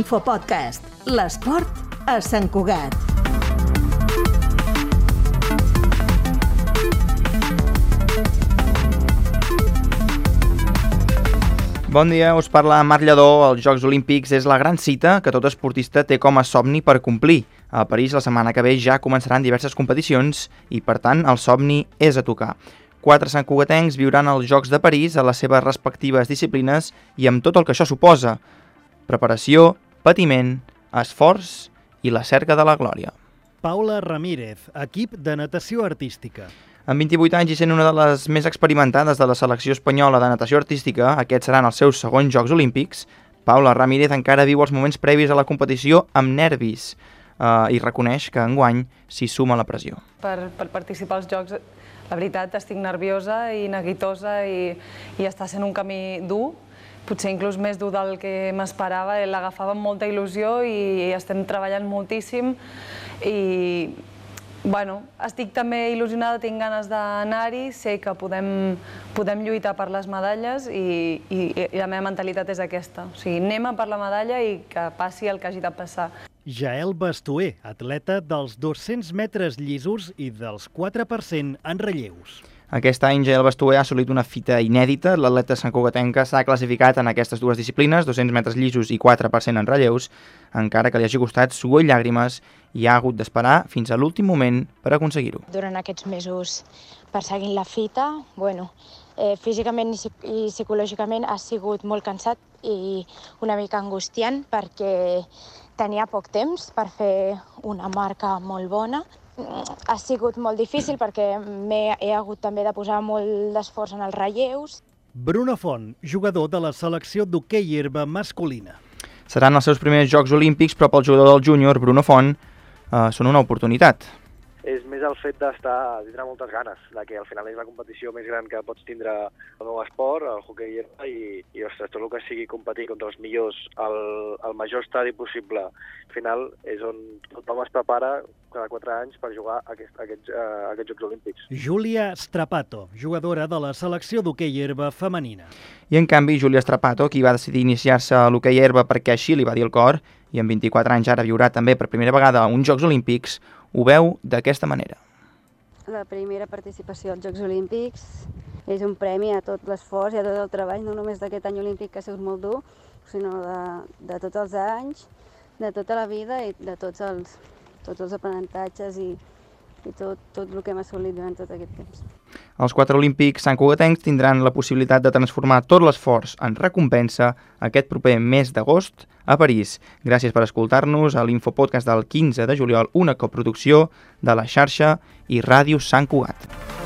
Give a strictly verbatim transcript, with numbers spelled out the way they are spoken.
Infopodcast, l'esport a Sant Cugat. Bon dia, us parla Marc Lledó. Els Jocs Olímpics és la gran cita que tot esportista té com a somni per complir. A París la setmana que ve ja començaran diverses competicions i, per tant, el somni és a tocar. Quatre santcugatencs viuran els Jocs de París a les seves respectives disciplines i amb tot el que això suposa. Preparació, patiment, esforç i la cerca de la glòria. Paula Ramírez, equip de natació artística. Amb vint-i-vuit anys i sent una de les més experimentades de la selecció espanyola de natació artística, aquests seran els seus segons Jocs Olímpics, Paula Ramírez encara viu els moments previs a la competició amb nervis eh, i reconeix que enguany s'hi suma la pressió. Per, per participar als Jocs, la veritat, estic nerviosa i neguitosa i, i està sent un camí dur, potser inclús més dur del que m'esperava. L'agafava amb molta il·lusió i estem treballant moltíssim i bueno, estic també il·lusionada, tinc ganes d'anar-hi, sé que podem, podem lluitar per les medalles i, i, i la meva mentalitat és aquesta. O sigui, anem a per la medalla i que passi el que hagi de passar. Jael Bastuer, atleta dels dos-cents metres llisos i dels quatre per cent en relleus. Aquest any Jael Bastuer ha assolit una fita inèdita. L'atleta santcugatenca s'ha classificat en aquestes dues disciplines, dos-cents metres llisos i quatre per cent en relleus, encara que li hagi costat suor i llàgrimes i ha hagut d'esperar fins a l'últim moment per aconseguir-ho. Durant aquests mesos perseguint la fita, bueno, eh, físicament i psicològicament ha sigut molt cansat i una mica angustiant perquè tenia poc temps per fer una marca molt bona. Ha sigut molt difícil perquè he hagut també de posar molt d'esforç en els relleus. Bruno Font, jugador de la selecció d'hoquei herba masculina. Seran els seus primers Jocs Olímpics, però pel jugador del júnior, Bruno Font, eh, són una oportunitat. És més el fet d'estar, tindre moltes ganes, de que al final és la competició més gran que pots tindre el meu esport, el hoquei herba, i, i ostres, tot el que sigui competir contra els millors al, al major estadi possible, al final és on tothom es prepara cada quatre anys per jugar aquest, aquests, uh, aquests Jocs Olímpics. Júlia Strapato, jugadora de la selecció d'hoquei herba femenina. I en canvi, Júlia Strapato, qui va decidir iniciar-se a l'hoquei herba perquè així li va dir el cor, i amb vint-i-quatre anys ara viurà també per primera vegada uns Jocs Olímpics, ho veu d'aquesta manera. La primera participació als Jocs Olímpics és un premi a tot l'esforç i a tot el treball, no només d'aquest any olímpic que ha sigut molt dur, sinó de, de tots els anys, de tota la vida i de tots els, tots els aprenentatges i, i tot, tot el que hem assolit durant tot aquest temps. Els quatre olímpics santcugatencs tindran la possibilitat de transformar tot l'esforç en recompensa aquest proper mes d'agost a París. Gràcies per escoltar-nos a l'Infopodcast del quinze de juliol, una coproducció de la xarxa i Ràdio Sant Cugat.